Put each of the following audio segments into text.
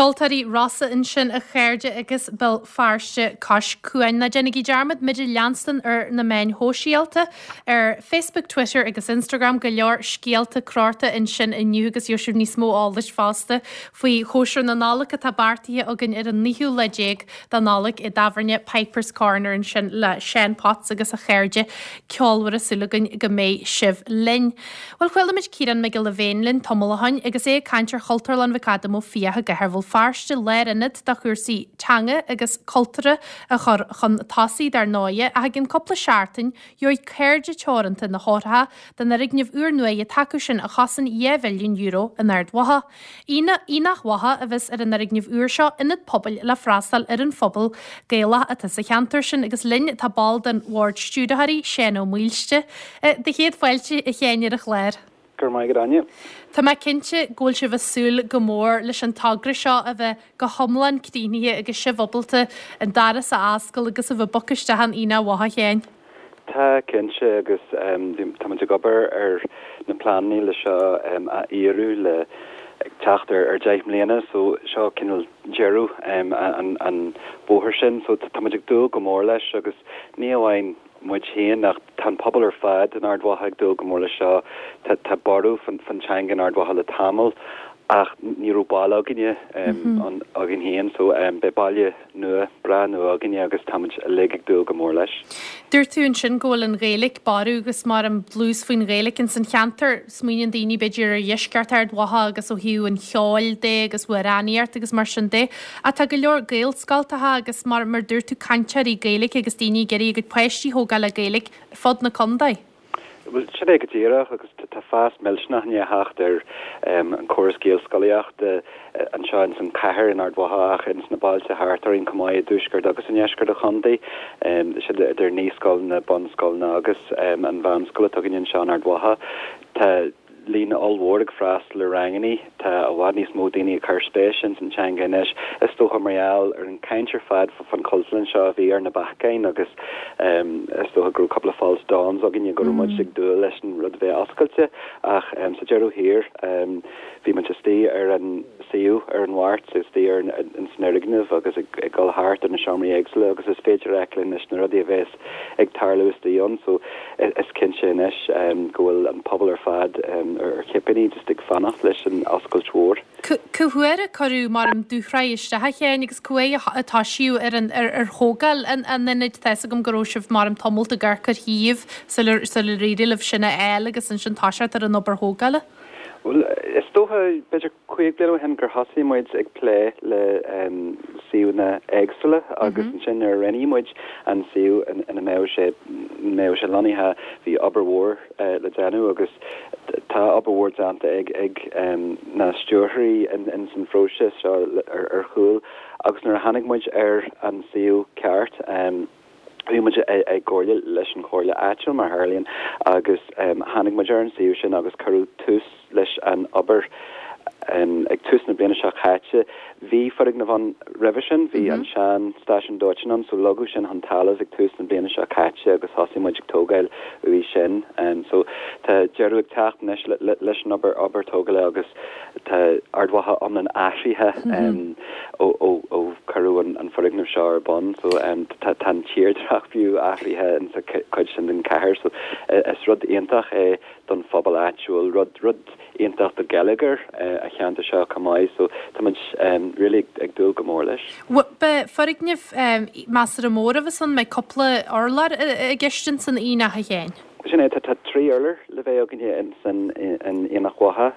Ceoltóirí Rossa ansin, a chairde, agus Béal Feirste cois cuain. Ná déanaigí dearmad muid a leanstan ar na meáin shóisialta, ar Facebook, Twitter agus Instagram. Go leor scéalta crochta ansin inniu agus gheobhaidh sibh níos mó eolais fosta faoi chóisir na Nollag atá beartaithe againn ar an naoú lá déag de Nollaig i dtábhairne Pipers Corner ansin le Seán Potts agus a chairde ceolmhara. Súil againn go mbeidh sibh linn. Bhuel, chuala muid Ciarán Mac Giolla Bhéin linn tamall ó shoin agus é ag caint ar Chultúrlann McAdam Ó Fiaich i gcathair Bhéal Feirste, lárionad do chúrsaí teanga agus cultúrtha a chur chun tosaigh dar ndóighe, ach i gcionn cúpla seachtain gheobhaidh Cairde Teoranta na heochracha don fhoirgneamh úrnua atá acu sin a chosain €2 mhilliún in Ard Mhacha. Aonach Mhacha a bheas ar an fhoirgneamh úr seo, ionad pobail le freastal ar an phobal Gaelach atá sa cheantar sin agus linn tá ball den Bhord Stiúrthóirí, Seán Ó Maoilste. Do chéad fáilte, a Sheáin, ar an chlár. Go raibh maith agat, Áine. Tá mé cinnte go bhfuil sibh ag súil go mór leis an togra seo a bheith go hiomlán críochnaithe agus sibh ábalta an doras a oscail agus a bheith ag bogadh isteach in Aonach Mhacha, a Sheáin. Tá, cinnte, agus tá muid ag obair ar na pleananna le seo a fhíorú le ag teacht ar 10 mbliana so seo cineál deireadh an bhóthair sin so tá muid ag dúil go mór leis agus ní amháin muid féin ach tá an pobal ar fad in Ard Mhacha ag dúil go mór leis seo. Tá borradh fan teanga in Ard Mhacha le tamall ach ní raibh baile againne againn féin so beidh baile nua, breá nua againne agus táimid uilig ag dúil go mór leis. Dúirt tú ansin go bhfuil an Ghaeilge ag borradh agus mar an dlús faoin Ghaeilge ins an cheantar. Smaoiníonn daoine b'fhéidir ar dheisceart Ard Mhacha agus ó thaobh an cheoil de agus amhránaíocht agus mar sin de. Ach tá go leor Gaelscoltacha agus mar mar dúirt tú cainteoirí Gaeilge agus daoine ag iarraidh a gcuid páistí a thógáil le Gaeilge ar fud na contae. Bhuel, sin é go díreach agus tá fás millteanach i ndiaidh theacht ar an córas Gaelscolaíochta anseo ins an chathair in Ard Mhacha ach ins na bailte thart orainn chomh maith i dtuaisceart agus i ndeisceart an chontae. Sin idir naíscoileanna, bunscoileanna agus an mheánscoil atá againn anseo in Ard Mhacha. Tá líon ollmhór ag freastal ar rangannaí. Tá i bhfad níos mó daoine ag cur spéise ins an teanga anois, is dócha mar gheall ar an chaint ar fad fán Chultúrlann seo a bhí ar na bacáin agus is dócha go raibh cúpla false dawns againne go raibh muid ag dúil leis an rud a bheith oscailte ach sa deireadh thiar bhí muid istigh ar an suíomh ar an Mháirt, istigh ar ins an fhoirgneamh agus ag dul thart ar na seomraí éagsúla agus is féidir a fheiceáil anois na rudaí a bheas ag tarlú istigh ann so is cinnte anois go bhfuil an pobal ar fad ar chipíní just ag fanacht leis an oscailt mhór. Cá huair a cuireadh mar an dúshraith isteach a Sheáin agus cá huair a toisíodh ar an ar thógáil an ionaid? Tá fhios agam go raibh sibh mar an tamalt ag amharc ar shuíomh sular sular éirigh libh sin a fháil agus ansin toiseacht ar an obair thógála. Bhuel is dócha b'fhéidir 5 bliana ó shin gur thosaigh muid ag plé le suíomhanna éagsúla agus ansin nuair a roghnaigh muid an suíomh ina mbeadh sé mbeadh sé lonnaithe bhí obair mhór le déanamh agus tá obair mhór déanta ag ag na stiúrthóirí ins an phróiseas seo ar ar chúl agus nuair a tháinig muid ar an suíomh ceart Bhí muid i gcomhairle leis an chomhairle áitiúil, mar a tharlaíonn, agus tháinig muid ar an suíomh sin agus cuireadh tús leis an obair ag tús na bliana seo caite. Bhí foirgneamh ann roimhe sin, bhí an sean stáisiún dóiteáin ann, so leagadh sin chun talaimh ag tús na bliana seo caite agus thosaigh muid ag tógáil uaidh sin. So tá deireadh ag teacht anois leis an obair, obair tógála agus Tá Ard Mhacha iomlán athraithe ó cuireadh an foirgneamh seo ar bun so tá an tírdhreach fiú athraithe insa chuid sin den chathair so is rud iontach é don phobal áitiúil, rud rud iontach do gheilleagar an cheantair seo chomh maith so tá muid really ag dúil go mór leis. Beidh foirgneamh measartha mór a bheas ann, mbeidh cúpla urlár i gceist ins an aonach a Sheáin? Sin é, tá 3 urlár le bheith againne ins an Aonach Mhacha.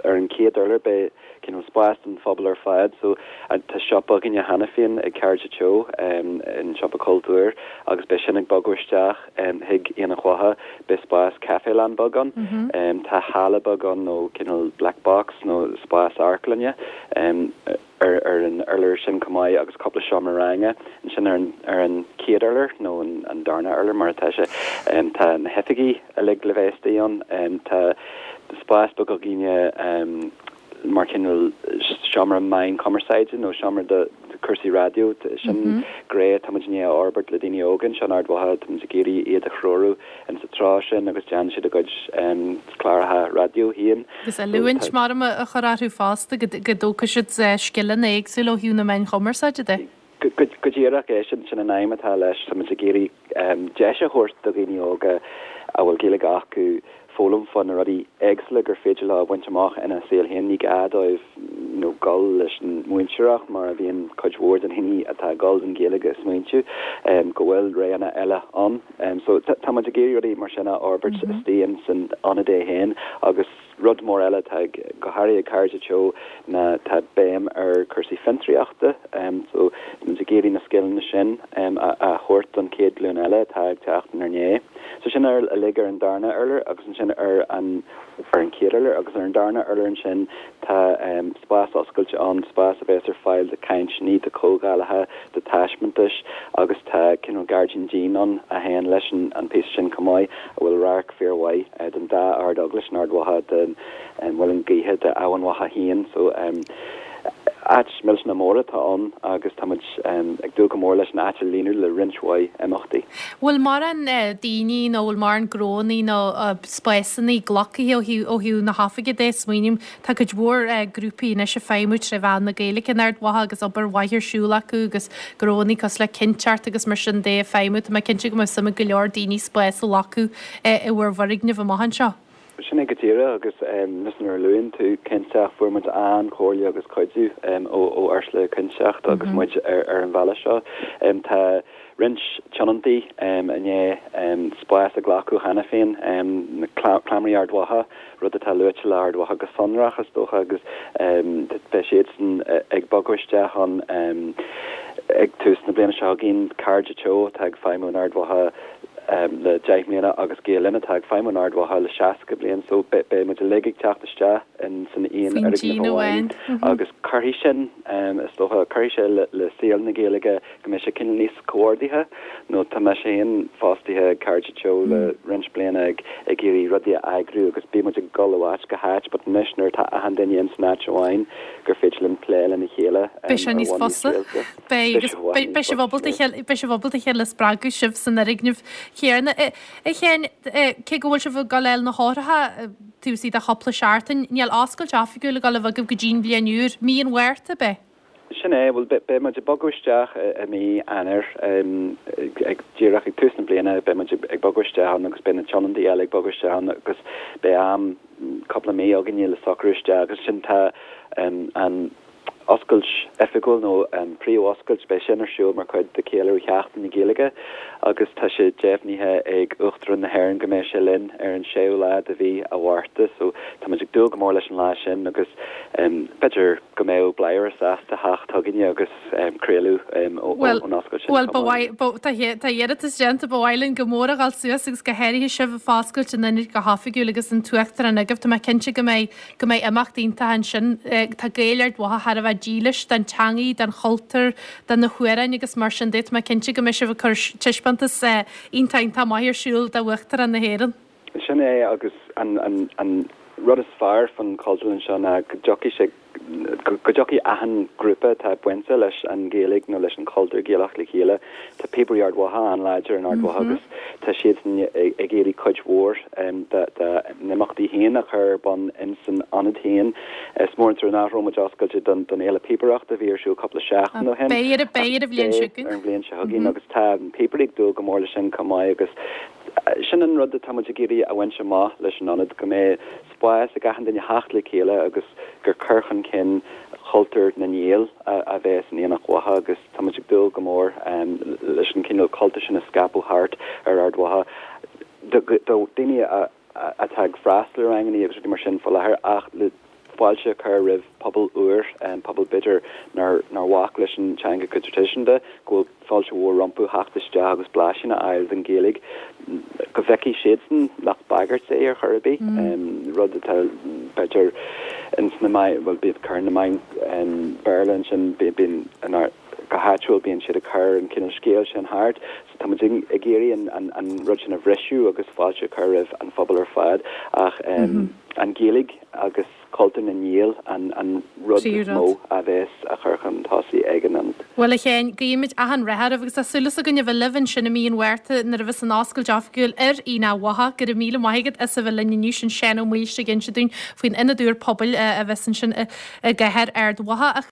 Ar an chéad urlár beidh cineál spás don phobal ar fad so tá siopa againne cheana féin ag Cairde Teo, an siopa cultúir, agus beidh sin ag bogadh isteach chuig Aonach Mhacha. Beidh spás caifelann beag ann. Tá halla beag ann nó cineál black box nó spás amharclainne. ar an urlár sin chomh maith agus cúpla seomra ranga ansin ar an ar an chéad urlár nó an darna urlár mar atá sé. Tá na hoifigí uilig le bheith istigh ann. Tá spás beag againne mar cineál seomra meán cumarsáide nó seomra do. cúrsaí raidió, sin gné atá muid i ndiaidh a fhorbairt le daoine óga anseo in Ard Mhacha, tá muid ag iarraidh iad a threorú in sa treo sin agus déanann siad a gcuid cláracha raidió féin. Agus oiliúint maram a chur orthu fosta go dtógfaidh siad scileanna éagsúla ó thaobh na meáin chumarsáide de. Go díreach é sin, sin an aidhm atá leis. Tá muid ag iarraidh deis a thabhairt do dhaoine óga a bhfuil Gaeilge acu foghlaim fá na rudaí éagsúla gur féidir leo a bhaint amach ina saol féin. Ní gá dóibh you know dul leis an mhúinteoireacht mar a bhíonn cuid mhór de na daoine atá ag dul don Ghaeilge ag smaointiú go bhfuil roghanna eile ann. So tá muid ag iarraidh rudaí mar sin a fhorbairt istigh in san ionad é féin agus Rud mór eile atá ag, go háirithe ag Cairde Teo ná tá béim ar cúrsaí fiontraíochta. So tá muid ag iarraidh na scileanna sin a thabhairt don chéad ghlúin eile atá ag teacht inár ndiaidh. So sin uilig ar an darna urlár agus ansin ar an ar an chéad urlár agus ar an darna urlár ansin tá spás oscailte ann, spás a bheas ar fáil do chainteanna, do chomhdhálacha, do thaispeántais agus tá cineál gairdín dín ann a théann leis an píosa sin chomh maith a bhfuil radharc fíormhaith den dá Ard-Eaglais in Ard Mhacha, den Mhuileann Gaoithe, d'Eamhain Mhacha féin. So áit millteanach mór atá ann agus tá muid ag dúil go mór leis an áit a líonadh le roinnt mhaith imeachtaí. Bhfuil mórán daoine nó bhfuil mórán gnónna nó spásanna glactha ó thaobh na hoifige de? Smaoiním, tá cuid mhór grúpaí anois ag feidhmiú tré mheán na Gaeilge in Ard Mhacha agus obair mhaith ar siúl acu agus gnónna cosúil le Cinnteacht agus mar sin de ag feidhmiú. Tá mé cinnte go mbeadh suim ag go leor daoine spás a ghlacadh i bhur bhfoirgneamh amach anseo. Sin é go díreach agus just nuair a luann tú Cinnteacht, fuair muid an-chomhairle agus cuidiú ó Ursula Cinnteacht agus muid ar an bhealach seo. Tá roinnt tionóntaí i ndiaidh spás a ghlacadh cheana féin, Cleamairí Ard Mhacha, rud atá luaite le Ard Mhacha go sonrach is dócha agus beidh siadsan ag bogadh isteach ann ag tús na bliana seo chugainn. Cairde Teo atá ag feidhmiú in Ard Mhacha le 10 mbliana agus Gael Linn atá ag feidhmiú in Ard Mhacha le 60 bliain so beidh muid uilig ag teacht isteach in san aon fhoirgneamh amháin agus cuirfidh sin is dócha, cuirfidh sé le saol na Gaeilge go mbeidh sé cineál níos comhordaithe nó tá mise féin fostaithe ag Cairde Teo le roinnt bliana ag ag iarraidh rudaí a eagrú agus bíonn muid ag dul ó áit go háit but anois nuair atá achan duine ins an áit amháin gur féidir linn plé lena chéile Beidh sé níos fusa. Beidh agus beidh sibh ábalta beidh sibh ábalta a chéile a spreagadh sibh san fhoirgneamh chéanna. A Sheáin, cé go bhfuil sibh ag dul a fháil na heochracha taobh istigh de chúpla seachtain, níl oscailt oifigiúil ag dul a bheith agaibh go dtí'n bhliain úr, mí an Mhárta, ab é? Sin é, bhuel, beidh muid ag bogadh isteach i mí Eanáir, ag díreach ag tús na bliana, beidh muid ag bogadh isteach ann agus beidh na tionóntaí eile ag bogadh isteach ann agus beidh am, cúpla mí againne le socrú isteach agus ansin tá an oscailt oifigiúil nó an príomhoscailt, beidh sin ar siúl mar chuid de cheiliúradh Sheachtain na Gaeilge agus tá sé deimhnithe ag Uachtarán na hÉireann go mbeidh sé linn ar an séú lá de mhí a' Mhárta so tá muid ag dúil go mór leis an lá sin agus b'fhéidir go mbeadh Bladhaire sásta theacht chugainne agus craoladh ón oscailt sin Bhuel, ba mhaith, ba, tá, tá iarratas déanta, ba mhaith linn go mór a dhul suas agus go háirithe sibh ag foscailt an ionaid go hoifigiúil agus an tUachtarán agaibh. Tá mé cinnte go mbeidh, go mbeidh imeacht iontach ansin. Tá Gaeil Ard Mhacha thar a bheith dílis don teangaidh, don chultúr, do na hamhráin agus mar sin de. Tá mé cinnte go mbeidh sibh ag cur taispeántas iontach, iontach maith ar siúl d'Uachtarán na hÉireann. Sin é agus an, an rud is fearr faoin Chultúrlann seo ná go dtiocfaidh sé, go dtiocfaidh achan ghrúpa atá bainte leis an Ghaeilge nó leis an chultúr Gaelach le chéile. Tá Píobairí Ard Mhacha an-láidir in Ard Mhacha agus tá siadsan ag iarraidh cuid mhór dá n-imeachtaí féin a chur ar bun ins an ionad féin. Is mór an trua nach raibh muid oscailte don Fhéile Píobaireachta a bhí ar siúl cúpla seachtain ó shin. Beidh ar, beidh ar an bhliain seo chugainn. Ar an bhliain seo chugainn agus tá na píobairí ag dúil go mór leis sin chomh maith agus Sin an rud atá muid ag iarraidh a bhaint amach leis an ionad, go mbeidh spás ag achan duine theacht le chéile agus gur cur chun cinn chultúr na nGael a bheas in Aonach Mhacha agus tá muid ag dúil go mór leis an cineál cultúr sin a scaipeadh thart ar Ard Mhacha do dhaoine atá ag freastal ar ranganna agus rudaí mar sin faoi láthair ach le fáilte a chur roimh pobal úr, pobal b'fhéidir nár bhac leis an teanga go traidisiúnta, go bhfuil fáilte mhór rompu theacht isteach agus blaisín a fháil den Ghaeilge, go bhfeicfidh siadsan nach bagairt é ar chor ar bith, rud atá b'fhéidir ins na meáin, bhuel bíonn cur na meáin Béarla ansin, bíonn go háitiúil bíonn siad ag cur an cineál scéil sin thart, so tá muid ag iarraidh an rud sin a bhriseadh agus fáilte a chur roimh an phobal ar fad ach an Ghaeilge agus. Cultúr na nGael an rud is mó a bheas á chur chun tosaigh ag an ionad. Bhuel a Sheáin, guímid achan rath oraibh agus tá súil againn a bheith libh ansin i mí an Mhárta nuair a bheas an oscailt oifigiúil ar Aonach Mhacha. Go raibh míle maith agat as a bheith linn inniu, sin Seán Ó Maoilstigh ag inse dúinn faoin ionad úr pobail a bheas ansin i gcathair Ard Mhacha.